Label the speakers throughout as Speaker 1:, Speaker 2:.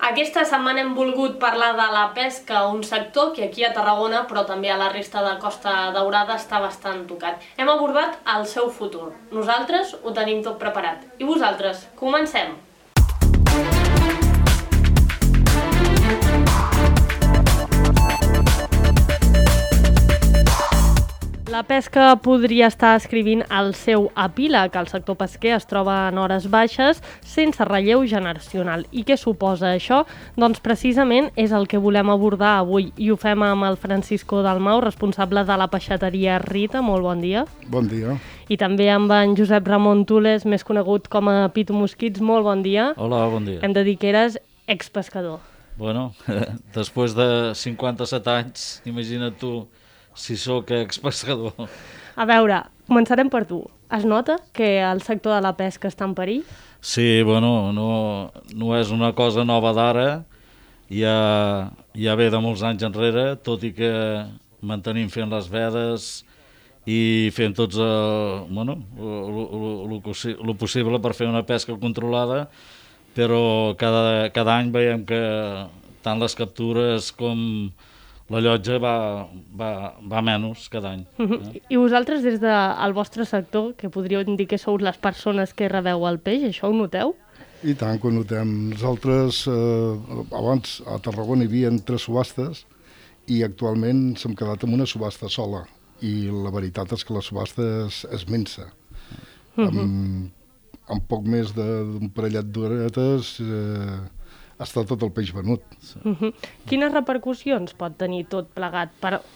Speaker 1: Aquesta setmana hem volgut parlar de la pesca, un sector que aquí a Tarragona, però també a la resta de Costa Daurada, està bastant tocat. Hem abordat el seu futur. Nosaltres ho tenim tot preparat. I vosaltres? Comencem! La pesca podria estar escrivint el seu epíleg. El sector pesquer es troba en hores baixes, sense relleu generacional. I què suposa això? Doncs precisament és el que volem abordar avui. I ho fem amb el Francisco Dalmau, responsable de la peixateria Rita. Molt bon dia.
Speaker 2: Bon dia.
Speaker 1: I també amb en Josep Ramon Tules, més conegut com a Pitu Mosquits. Molt bon dia.
Speaker 3: Hola, bon dia.
Speaker 1: Hem de dir que eres expescador.
Speaker 3: Bueno, després de 57 anys, imagina't tu si sóc expescador.
Speaker 1: A veure, començarem per tu. Es nota que el sector de la pesca està en perill?
Speaker 3: Sí, bueno, no és una cosa nova d'ara, ja ve de molts anys enrere, tot i que mantenim fent les vedes i fent tots lo possible per fer una pesca controlada, però cada any veiem que tant les captures com la llotja va menys cada any.
Speaker 1: I vosaltres, des del vostre sector, que podríeu dir que sou les persones que rebeu el peix, això ho noteu?
Speaker 2: I tant que ho notem. Nosaltres, abans a Tarragona hi havia 3 subhastes i actualment s'hem quedat amb una subhasta sola. I la veritat és que la subhasta és minsa. Amb poc més d'un parellet d'horetes està tot el peix venut.
Speaker 1: Quines repercussions pot tenir tot plegat?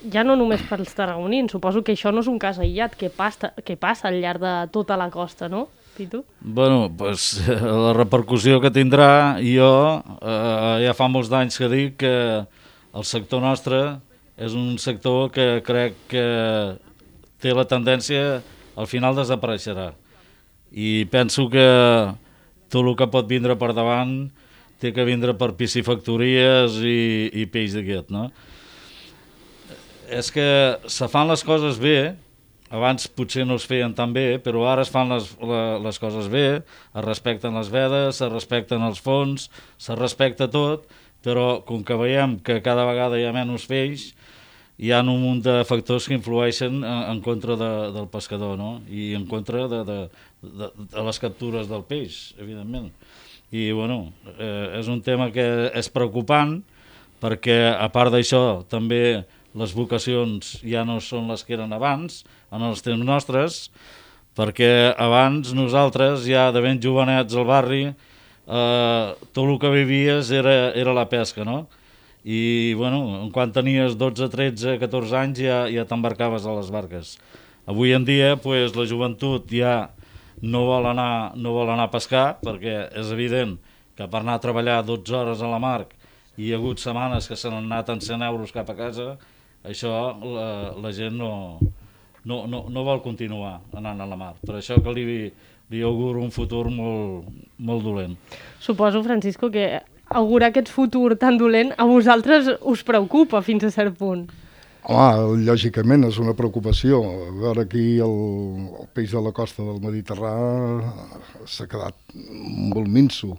Speaker 1: Ja no només pels tarragonins, suposo que això no és un cas aïllat, que passa al llarg de tota la costa, no, Pitu?
Speaker 3: Bueno, pues, la repercussió que tindrà, jo ja fa molts anys que dic que el sector nostre és un sector que crec que té la tendència al final desapareixerà. I penso que tot el que pot vindre per davant té que vindre per piscifactories i peix d'aquest, no? És que se fan les coses bé, abans potser no es feien tan bé, però ara es fan les coses bé, es respecten les vedes, es respecten els fons, se respecta tot, però com que veiem que cada vegada hi ha menys peix, hi ha un munt de factors que influeixen en contra del pescador, no? I en contra de les captures del peix, evidentment. I bueno, és un tema que és preocupant perquè a part d'això també les vocacions ja no són les que eren abans, en els temps nostres, perquè abans nosaltres ja de ben jovenets al barri tot el que vivies era la pesca, no? I bueno, quan tenies 12, 13, 14 anys ja t'embarcaves a les barques. Avui en dia pues, la joventut ja no vol anar a pescar perquè és evident que per anar a treballar 12 hores a la mar i hi ha hagut setmanes que se n'han anat en 100 euros cap a casa, això la gent no vol continuar anant a la mar. Per això que li auguro un futur molt dolent.
Speaker 1: Suposo, Francisco, que augurar aquest futur tan dolent a vosaltres us preocupa fins a cert punt.
Speaker 2: Home, lògicament és una preocupació. A veure, aquí el peix de la costa del Mediterrani s'ha quedat molt minso.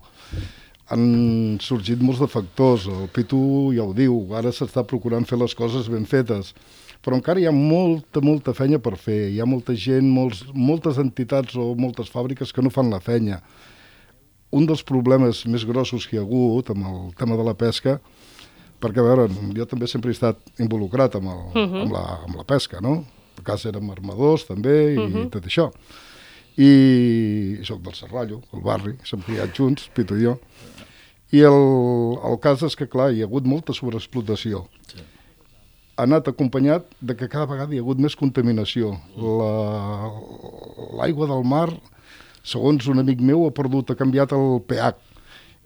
Speaker 2: Han sorgit molts de factors. El Pitu ja ho diu, ara s'està procurant fer les coses ben fetes. Però encara hi ha molta feina per fer. Hi ha molta gent, moltes entitats o moltes fàbriques que no fan la feina. Un dels problemes més grossos que hi ha hagut amb el tema de la pesca, perquè, a veure, jo també sempre he estat involucrat amb la pesca, no? A casa érem armadors, també, i tot això. I soc del Serrallo, el barri, s'hem criat junts, Pitu i jo. I el cas és que, clar, hi ha hagut molta sobreexplotació. Sí. Ha anat acompanyat de que cada vegada hi ha hagut més contaminació. L'aigua del mar, segons un amic meu, ha canviat el pH.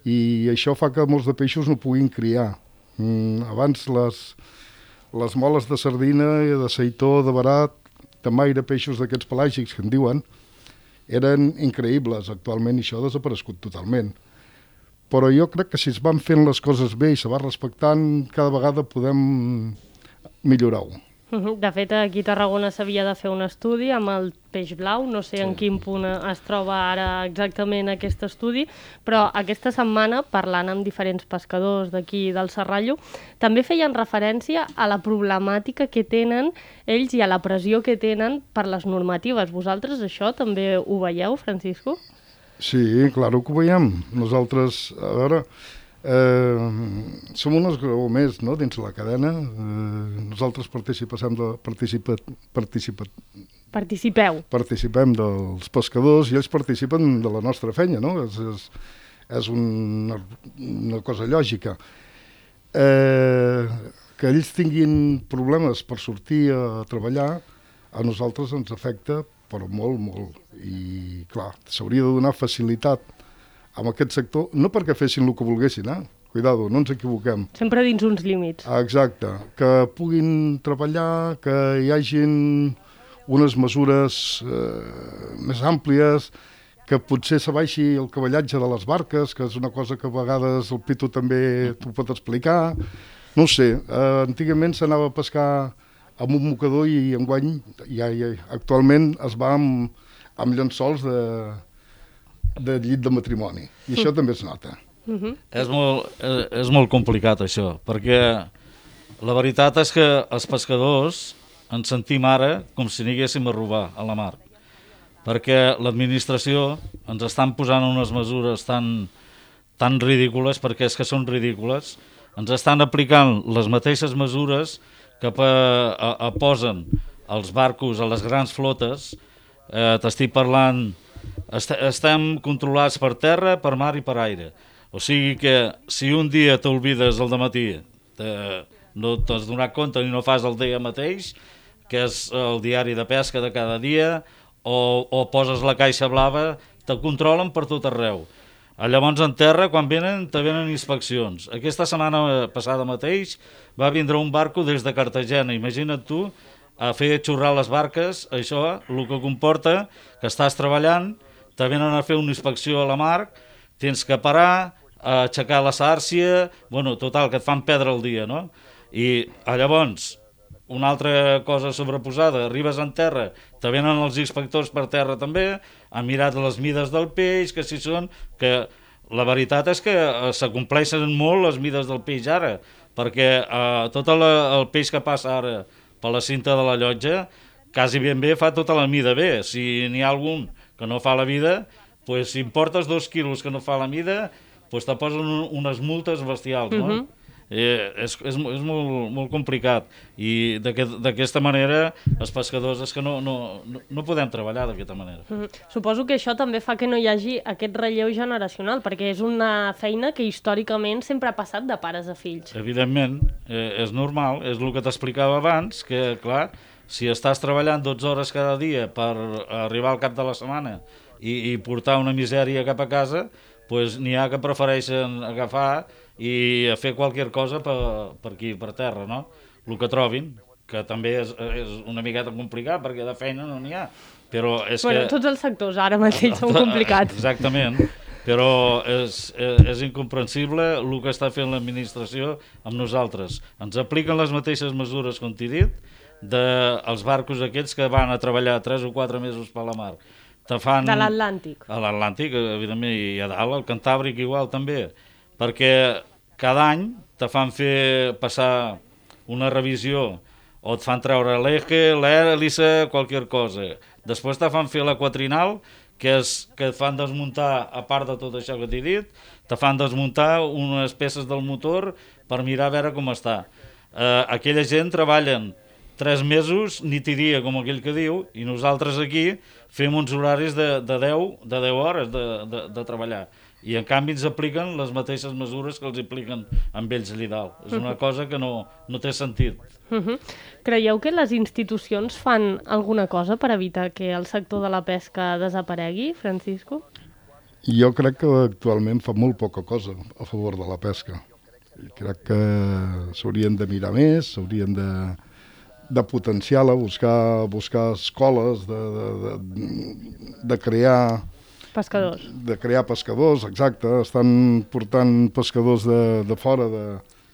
Speaker 2: I això fa que molts de peixos no puguin criar. Abans les moles de sardina, de seitó, de barat, de maire, peixos d'aquests pelàgics que en diuen, eren increïbles. Actualment això ha desaparegut totalment. Però jo crec que si es van fent les coses bé i se va respectant, cada vegada podem millorar-ho.
Speaker 1: De fet, aquí a Tarragona s'havia de fer un estudi amb el peix blau, no sé en quin punt es troba ara exactament aquest estudi, però aquesta setmana, parlant amb diferents pescadors d'aquí del Serrallo, també feien referència a la problemàtica que tenen ells i a la pressió que tenen per les normatives. Vosaltres això també ho veieu, Francisco?
Speaker 2: Sí, claro que ho veiem. Nosaltres, a veure, som un esglaó més, no?, dins la cadena. Nosaltres participem dels pescadors i ells participen de la nostra feina, no? És una cosa lògica. Que ells tinguin problemes per sortir a treballar, a nosaltres ens afecta, però molt, molt. I, clar, s'hauria de donar facilitat amb aquest sector, no perquè fessin el que volguessin, cuidado, no ens equivoquem.
Speaker 1: Sempre dins uns límits.
Speaker 2: Exacte, que puguin treballar, que hi hagin unes mesures més àmplies, que potser s'abaixi el cavallatge de les barques, que és una cosa que a vegades el Pitu també t'ho pot explicar. No ho sé, antigament s'anava a pescar amb un mocador i enguany actualment es va amb llençols de llit de matrimoni, i això també es nota.
Speaker 3: És molt complicat això, perquè la veritat és que els pescadors ens sentim ara com si anéssim a robar a la mar, perquè l'administració ens estan posant unes mesures tan ridícules, perquè és que són ridícules, ens estan aplicant les mateixes mesures que posen els barcos a les grans flotes. T'estic parlant, estem controlats per terra, per mar i per aire. O sigui que si un dia t'olvides al dematí, no t'has donat compte ni no fas el dia mateix, que és el diari de pesca de cada dia, o poses la caixa blava, te controlen per tot arreu. Llavors en terra, quan venen, te venen inspeccions. Aquesta setmana passada mateix va vindre un barco des de Cartagena, imagina't tu, a fer xurrar les barques, això el que comporta que estàs treballant, te venen a fer una inspecció a la mar, tens que parar, aixecar la sàrcia, bueno, total, que et fan perdre el dia, no? I llavors, una altra cosa sobreposada, arribes en terra, te venen els inspectors per terra també, han mirat les mides del peix, que si són, que la veritat és que s'acompleixen molt les mides del peix ara, perquè tot el peix que passa ara per la cinta de la llotja, quasi ben bé fa tota la mida bé. Si n'hi ha algun que no fa la vida, pues, si importes 2 quilos que no fa la mida, pues, te posen unes multes bestials, no? És molt complicat, i d'aquesta manera els pescadors és que no podem treballar d'aquesta manera.
Speaker 1: Suposo que això també fa que no hi hagi aquest relleu generacional, perquè és una feina que històricament sempre ha passat de pares a fills.
Speaker 3: Evidentment, és normal, és el que t'explicava abans, que clar, si estàs treballant 12 hores cada dia per arribar al cap de la setmana i portar una misèria cap a casa, pues n'hi ha que prefereixen agafar i fer qualsevol cosa per aquí, per terra, no? El que trobin, que també és una miqueta complicat, perquè de feina no n'hi ha. Però és que...
Speaker 1: Tots els sectors ara mateix són complicats.
Speaker 3: Exactament, però és incomprensible el que està fent l'administració amb nosaltres. Ens apliquen les mateixes mesures, com t'he dit, dels barcos aquests que van a treballar 3 o 4 mesos per la mar. De
Speaker 1: l'Atlàntic.
Speaker 3: A l'Atlàntic, evidentment, i a dalt, al Cantàbric igual també, perquè cada any te fan fer passar una revisió, o et fan treure l'eje, l'hèlice, qualsevol cosa. Després te fan fer la quatrinal, que et fan desmuntar, a part de tot això que t'he dit, te fan desmuntar unes peces del motor per mirar a veure com està. Aquella gent treballen 3 mesos, nit i dia, com aquell que diu, i nosaltres aquí fem uns horaris de 10 hores de treballar. I en canvi ens apliquen les mateixes mesures que els apliquen amb ells allà dalt. És una cosa que no té sentit.
Speaker 1: Creieu que les institucions fan alguna cosa per evitar que el sector de la pesca desaparegui, Francisco?
Speaker 2: Jo crec que actualment fa molt poca cosa a favor de la pesca. Crec que s'haurien de mirar més, s'haurien de potenciar-la, buscar escoles, de crear...
Speaker 1: Pescadors.
Speaker 2: De crear pescadors, exacte. Estan portant pescadors de fora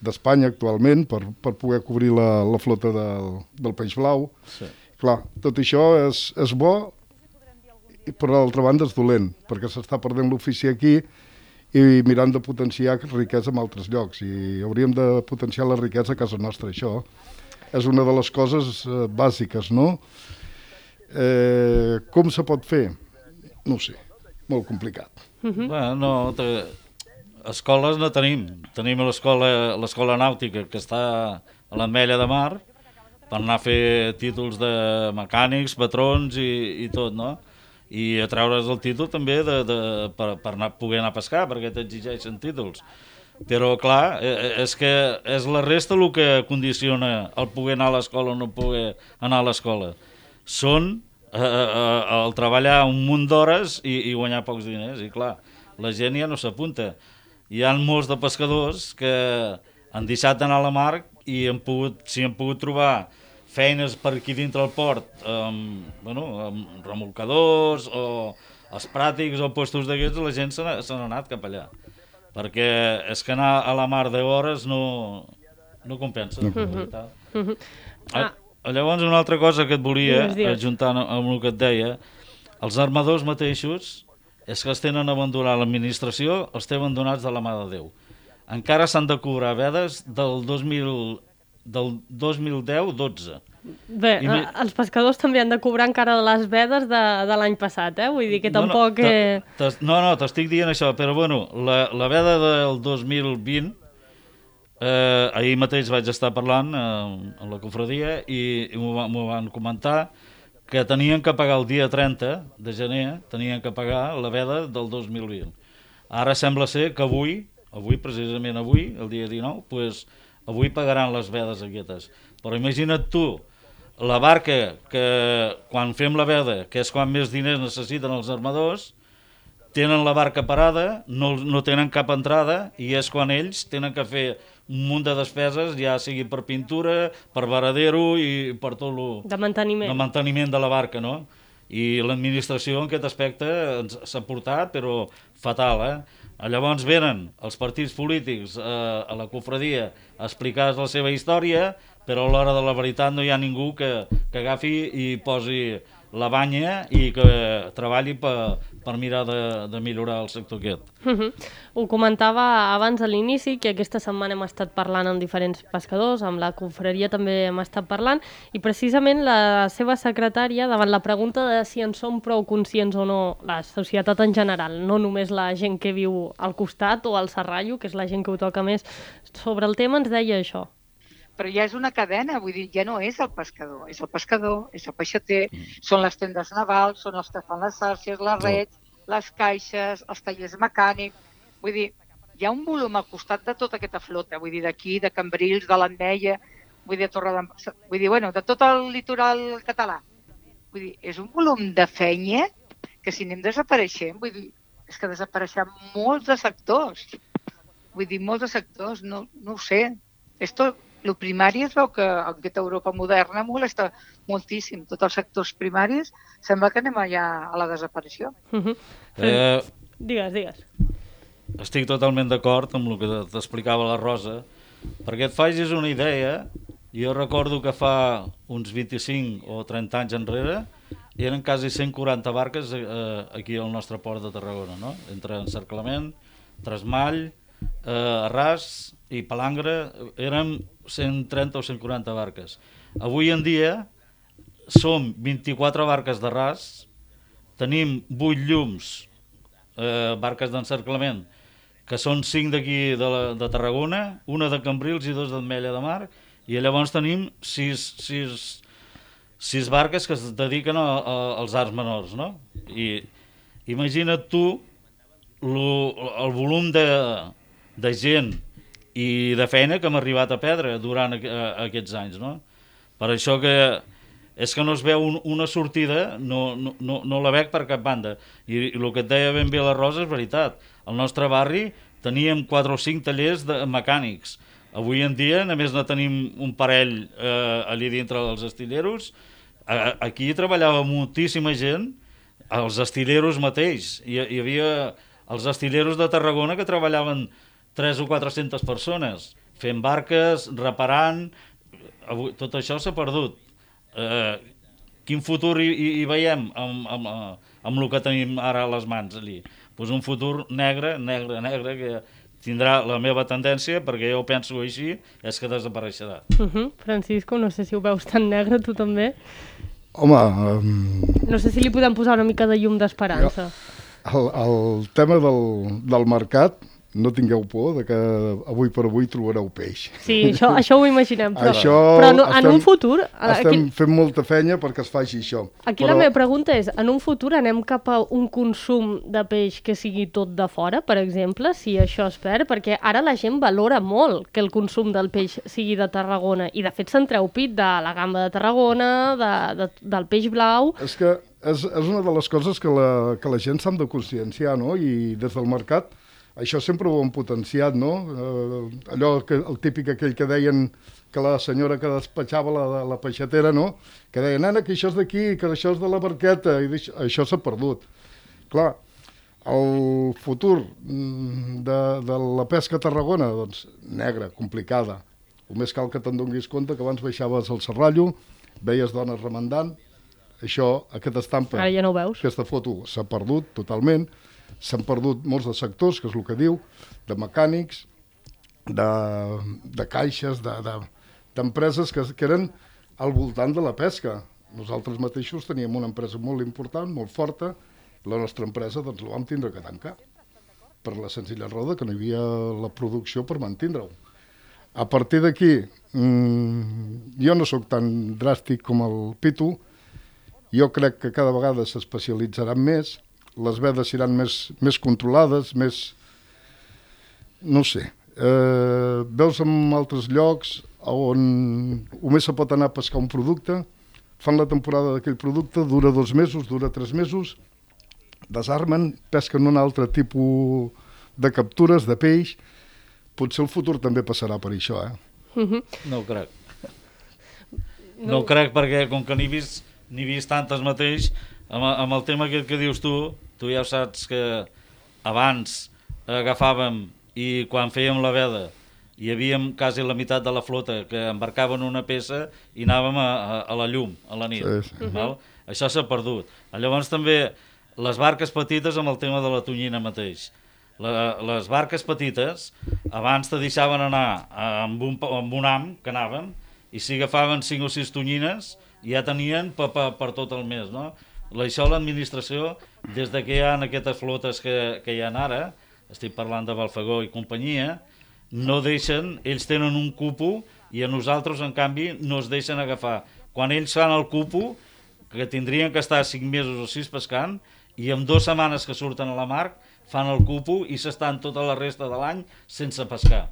Speaker 2: d'Espanya actualment per poder cobrir la flota del peix blau.
Speaker 3: Sí.
Speaker 2: Clar, tot això és bo, i per l'altra banda és dolent, perquè s'està perdent l'ofici aquí i mirant de potenciar riquesa en altres llocs. I hauríem de potenciar la riquesa a casa nostra, això. És una de les coses bàsiques, no? Com se pot fer? No ho sé, molt complicat.
Speaker 3: Bueno, escoles no tenim. Tenim l'escola nàutica, que està a l'Ametlla de Mar, per anar a fer títols de mecànics, patrons i tot, no? I a treure's el títol també per poder anar a pescar, perquè t'exigeixen títols. Però, clar, és que és la resta el que condiciona el poder anar a l'escola o no poder anar a l'escola. Són el treballar un munt d'hores i guanyar pocs diners. I, clar, la gent ja no s'apunta. Hi ha molts de pescadors que han deixat d'anar a la mar i si han pogut trobar feines per aquí dintre el port, amb remolcadors o els pràtics o puestos d'aquests, la gent se n'ha anat cap allà. Perquè és que anar a la mar 10 hores no compensa. Llavors, una altra cosa que et volia, ajuntant amb el que et deia, els armadors mateixos és que els tenen abandonat l'administració, els té abandonats de la mà de Déu. Encara s'han de cobrar vedes del 2010-12.
Speaker 1: Bé, els pescadors també han de cobrar encara les vedes de l'any passat, vull dir que tampoc...
Speaker 3: No, t'estic dient això, però bueno, la veda del 2020, ahir mateix vaig estar parlant amb la confraria i m'ho van comentar que tenien que pagar el dia 30 de gener, tenien que pagar la veda del 2020. Ara sembla ser que avui, precisament avui, el dia 19, doncs avui pagaran les vedes aquestes. Però imagina't tu, la barca que quan fem la veda, que és quan més diners necessiten els armadors, tenen la barca parada, no tenen cap entrada i és quan ells tenen que fer un munt de despeses, ja sigui per pintura, per varadero i per tot el...
Speaker 1: De manteniment
Speaker 3: de la barca, no? I l'administració en aquest aspecte s'ha portat, però fatal, Llavors venen els partits polítics a la confraria a explicar la seva història, però a l'hora de la veritat no hi ha ningú que agafi i posi la banya i que treballi per mirar de millorar el sector aquest.
Speaker 1: Ho comentava abans a l'inici, que aquesta setmana hem estat parlant amb diferents pescadors, amb la confraria també hem estat parlant, i precisament la seva secretària, davant la pregunta de si en som prou conscients o no, la societat en general, no només la gent que viu al costat o al serrallo, que és la gent que ho toca més sobre el tema, ens deia això.
Speaker 4: Però ja és una cadena, vull dir, ja no és el pescador, és el peixater, són les tendes navals, són els que fan les xarxes, les rets, les caixes, els tallers mecànics, vull dir, hi ha un volum al costat de tota aquesta flota, vull dir, d'aquí, de Cambrils, de l'Ametlla, vull dir, de tot el litoral català. Vull dir, és un volum de feina que si anem desapareixent, vull dir, és que desapareixen molts de sectors, no ho sé, el primari es veu que en aquesta Europa moderna molesta moltíssim. Tots els sectors primaris sembla que anem allà a la desaparició.
Speaker 1: Digues.
Speaker 3: Estic totalment d'acord amb el que t'explicava la Rosa, perquè et facis una idea. Jo recordo que fa uns 25 o 30 anys enrere eren quasi 140 barques aquí al nostre port de Tarragona, no? Entre encerclament, tresmall, arràs i palangre, eren 130 o 140 barques. Avui en dia som 24 barques d'arràs, tenim 8 llums, barques d'encerclament, que són 5 d'aquí de Tarragona, una de Cambrils i 2 d'Ametlla de Mar, i llavors tenim 6 barques que es dediquen als arts menors, no? I imagina't tu el volum de gent i de feina que hem arribat a perdre durant aquests anys, no? Per això que és que no es veu una sortida, no la veig per cap banda. I el que et deia ben bé la Rosa és veritat. Al nostre barri teníem 4 o 5 tallers de mecànics. Avui en dia només ne tenim un parell allà dintre dels estilleros. Aquí treballava moltíssima gent, els estilleros mateix. Hi havia els estilleros de Tarragona que treballaven 300 o 400 persones fent barques, reparant, tot això s'ha perdut. Quin futur hi veiem amb el que tenim ara a les mans allí? Pues un futur negre, que tindrà la meva tendència, perquè jo penso així, és que desapareixerà.
Speaker 1: Francisco, no sé si ho veus tan negre, tu també?
Speaker 2: Home...
Speaker 1: No sé si li podem posar una mica de llum d'esperança.
Speaker 2: El tema del mercat, no tingueu por de que avui per avui trobareu peix.
Speaker 1: Sí, això ho imaginem, però en un futur...
Speaker 2: Estem fent molta feina perquè es faci això.
Speaker 1: Aquí la meva pregunta és, en un futur anem cap a un consum de peix que sigui tot de fora, per exemple, si això es perd? Perquè ara la gent valora molt que el consum del peix sigui de Tarragona, i de fet se'n treu pit de la gamba de Tarragona, del peix blau...
Speaker 2: És que és una de les coses que la gent s'ha de conscienciar, no? I des del mercat això sempre ho hem potenciat, no? Allò, el típic aquell que deien que la senyora que despatxava la peixatera, no? Que deia, nena, que això és d'aquí, que això és de la barqueta, i això s'ha perdut. Clar, el futur de la pesca a Tarragona, doncs, negra, complicada. Només cal que te'n donis compte que abans baixaves al Serrallo, veies dones remendant, això, aquesta estampa,
Speaker 1: ara ja no ho veus.
Speaker 2: Aquesta foto s'ha perdut totalment. S'han perdut molts de sectors, que és el que diu, de mecànics, de caixes, d'empreses que eren al voltant de la pesca. Nosaltres mateixos teníem una empresa molt important, molt forta, la nostra empresa doncs la vam tindre que tancar, per la senzilla raó que no hi havia la producció per mantindre-ho. A partir d'aquí, jo no sóc tan dràstic com el Pitu, jo crec que cada vegada s'especialitzaran més, les vedes seran més controlades, més... no sé. Veus en altres llocs on només se pot anar a pescar un producte, fan la temporada d'aquell producte, dura 2 mesos, dura 3 mesos, desarmen, pesquen un altre tipus de captures, de peix. Potser el futur també passarà per això,
Speaker 3: No ho crec. No ho crec perquè com que n'he vist tantes mateix, amb el tema que dius tu ja saps que abans agafàvem i quan fèiem la veda hi havíem quasi la meitat de la flota que embarcaven una peça i anàvem a la llum, a la nit. Sí. Val? Això s'ha perdut. Llavors també les barques petites amb el tema de la tonyina mateix. Les barques petites abans te deixaven anar amb un ham que anàvem i si agafaven 5 o 6 tonyines ja tenien per tot el mes, no? Això l'administració, des de que hi ha aquestes flotes que hi ha ara, estic parlant de Balfagó i companyia, no deixen, ells tenen un cupo i a nosaltres, en canvi, no es deixen agafar. Quan ells fan el cupo, que tindrien que estar 5 mesos o 6 pescant, i en 2 setmanes que surten a la mar, fan el cupo i s'estan tota la resta de l'any sense pescar.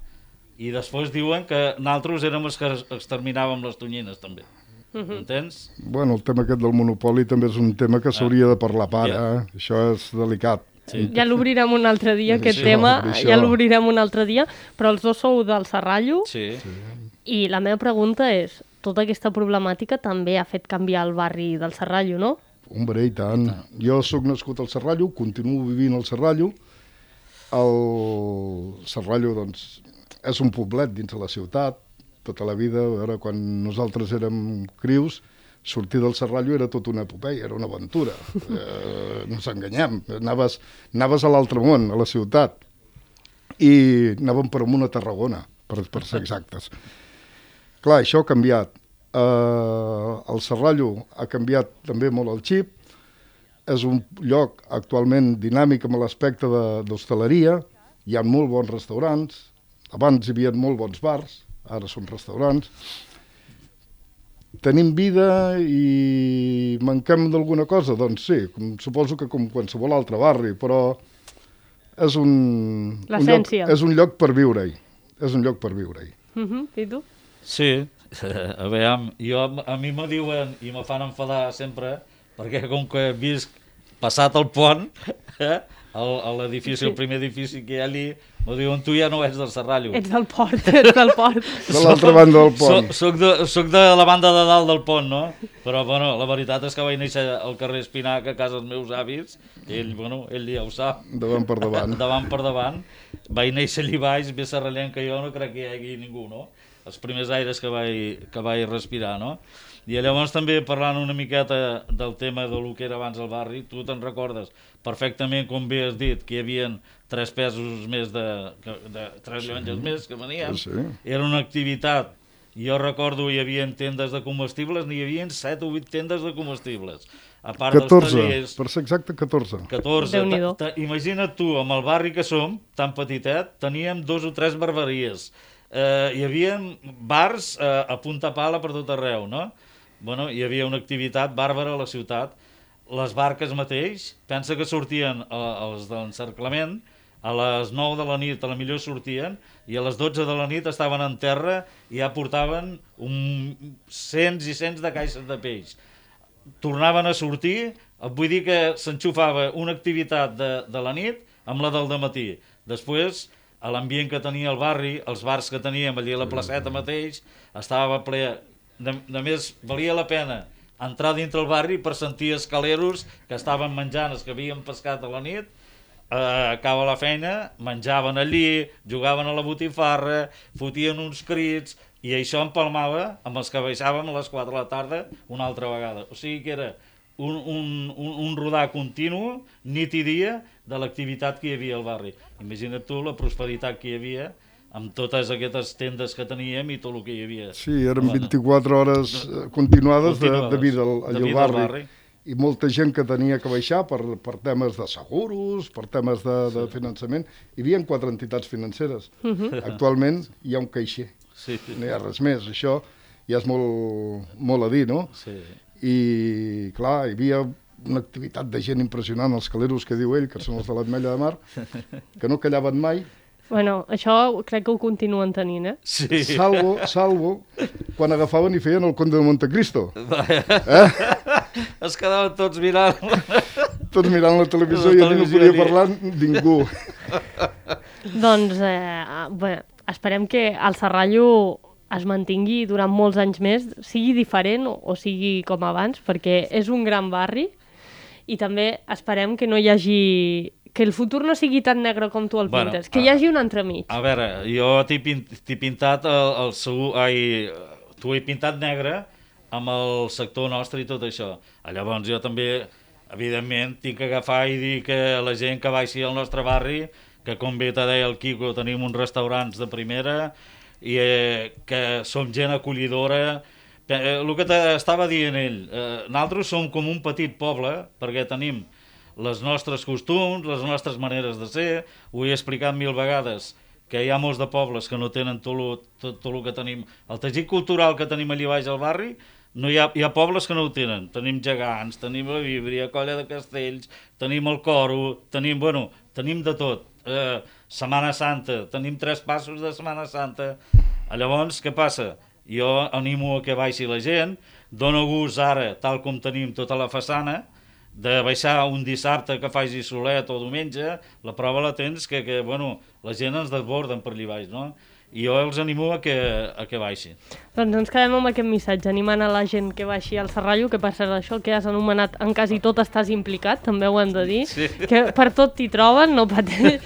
Speaker 3: I després diuen que nosaltres érem els que exterminàvem les tonyines, també. Entens?
Speaker 2: Bueno, el tema aquest del monopoli també és un tema que s'hauria de parlar a part, Això és delicat.
Speaker 1: Sí. Ja l'obrirem un altre dia, aquest tema, ja l'obrirem un altre dia, però els dos sou del Serrallo, i la meva pregunta és, tota aquesta problemàtica també ha fet canviar el barri del Serrallo, no?
Speaker 2: Hombre, i tant. Jo sóc nascut al Serrallo, continuo vivint al Serrallo. El Serrallo, doncs, és un poblet dins de la ciutat, tota la vida. A veure, quan nosaltres érem crius, sortir del Serrallo era tota una epopeia, era una aventura. No ens enganyem. Anaves a l'altre món, a la ciutat, i anàvem per amunt a Tarragona, per ser exactes. Clar, això ha canviat. El Serrallo ha canviat també molt el xip. És un lloc actualment dinàmic amb l'aspecte d'hostaleria. Hi ha molt bons restaurants. Abans hi havia molt bons bars, ara són restaurants. Tenim vida i manquem d'alguna cosa? Doncs sí, suposo que com qualsevol altre barri, però és un lloc per viure-hi. És un lloc per viure-hi.
Speaker 1: I tu?
Speaker 3: Sí, a veure, a mi me diuen i me fan enfadar sempre, perquè com que visc passat el pont, l'edifici, el primer edifici que hi ha allí, M'ho diuen, tu ja no ets del Serrallo.
Speaker 1: Ets del port, ets del port.
Speaker 2: De l'altra banda del pont.
Speaker 3: Soc de la banda de dalt del pont, no? Però, bueno, la veritat és que vaig néixer al carrer Espinac, a casa dels meus avis. Ell ja ho sap.
Speaker 2: Davant per davant.
Speaker 3: Davant per davant. Vaig néixer allà baix, més serrallenc que jo, no crec que hi hagi ningú, no? Els primers aires que vaig respirar, no? I llavors també parlant una miqueta del tema del que era abans el barri, tu te'n recordes perfectament, com bé has dit, que hi havia 3 pesos més de 3 llonges més que venien.
Speaker 2: Sí.
Speaker 3: Era una activitat. Jo recordo hi havia tendes de comestibles, n'hi havia 7 o 8 tendes de comestibles. A part
Speaker 2: 14,
Speaker 3: dels tallers,
Speaker 2: per ser exacte, 14.
Speaker 3: 14.
Speaker 1: Déu-n'hi-do.
Speaker 3: Imagina't tu, amb el barri que som, tan petitet, teníem 2 o 3 barberies. Hi havia bars a punta pala per tot arreu, no? Bueno, hi havia una activitat bàrbara a la ciutat. Les barques mateix, pensa que sortien els de l'encerclament, a les 9 de la nit a la millor sortien, i a les 12 de la nit estaven en terra i ja portaven cents i cents de caixes de peix. Tornaven a sortir, vull dir que s'enxufava una activitat de la nit amb la del dematí. Després, a l'ambient que tenia el barri, els bars que teníem allà a la placeta mateix, estava ple. A més, valia la pena entrar dintre el barri per sentir escaleros que estaven menjant els que havien pescat a la nit, acaba la feina, menjaven allí, jugaven a la botifarra, fotien uns crits, i això empalmava amb els que baixàvem a les 4 de la tarda una altra vegada. O sigui que era un rodar continu, nit i dia, de l'activitat que hi havia al barri. Imagina't tu la prosperitat que hi havia amb totes aquestes tendes que teníem i tot el que hi havia.
Speaker 2: Sí, eren 24 hores continuades de vida al barri. I molta gent que tenia que baixar per temes de seguros, per temes de finançament. Hi havia 4 entitats financeres. Actualment hi ha un caixer.
Speaker 3: Sí.
Speaker 2: No hi ha res més. Això ja és molt a dir, no?
Speaker 3: Sí.
Speaker 2: I, clar, hi havia una activitat de gent impressionant, els caleros que diu ell, que són els de l'Ametlla de Mar, que no callaven mai.
Speaker 1: Bueno, això crec que ho continuen tenint, eh?
Speaker 3: Sí.
Speaker 2: Salvo quan agafaven i feien el Conde de Montecristo.
Speaker 3: Es quedaven tots mirant.
Speaker 2: Tots mirant la televisió i allà no podia parlar ningú.
Speaker 1: Doncs, bé, esperem que el Serrallo es mantingui durant molts anys més, sigui diferent o sigui com abans, perquè és un gran barri i també esperem que no hi hagi... que el futur no sigui tan negre com tu el pintes, que hi hagi un entremig.
Speaker 3: A veure, jo t'he pintat t'ho he pintat negre amb el sector nostre i tot això. Llavors jo també, evidentment, tinc que agafar i dir que la gent que baixi al nostre barri, que com bé te deia el Quico, tenim uns restaurants de primera i que som gent acollidora. El que t'estava dient ell, nosaltres som com un petit poble, perquè tenim les nostres costums, les nostres maneres de ser, ho he explicat 1000 vegades, que hi ha molts de pobles que no tenen tot el que tenim. El teixit cultural que tenim allà baix al barri, hi ha pobles que no ho tenen. Tenim gegants, tenim la Víbria, Colla de Castells, tenim el Coro, tenim de tot. Setmana Santa, tenim 3 passos de Setmana Santa. Llavors, què passa? Jo animo a que baixi la gent, dono gust ara, tal com tenim tota la façana, de baixar un dissabte que faci solet o diumenge, la prova la tens que la gent ens desborden per allà baix, no? I jo els animo a que baixi.
Speaker 1: Doncs ens quedem amb aquest missatge, animant a la gent que baixi al Serrallo, que per ser això que has anomenat en quasi tot estàs implicat, també ho hem de dir, sí. Que per tot t'hi troben, no pateix.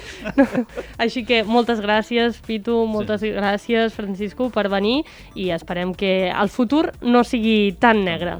Speaker 1: Així que moltes gràcies, Pitu, moltes gràcies, Francisco, per venir i esperem que el futur no sigui tan negre.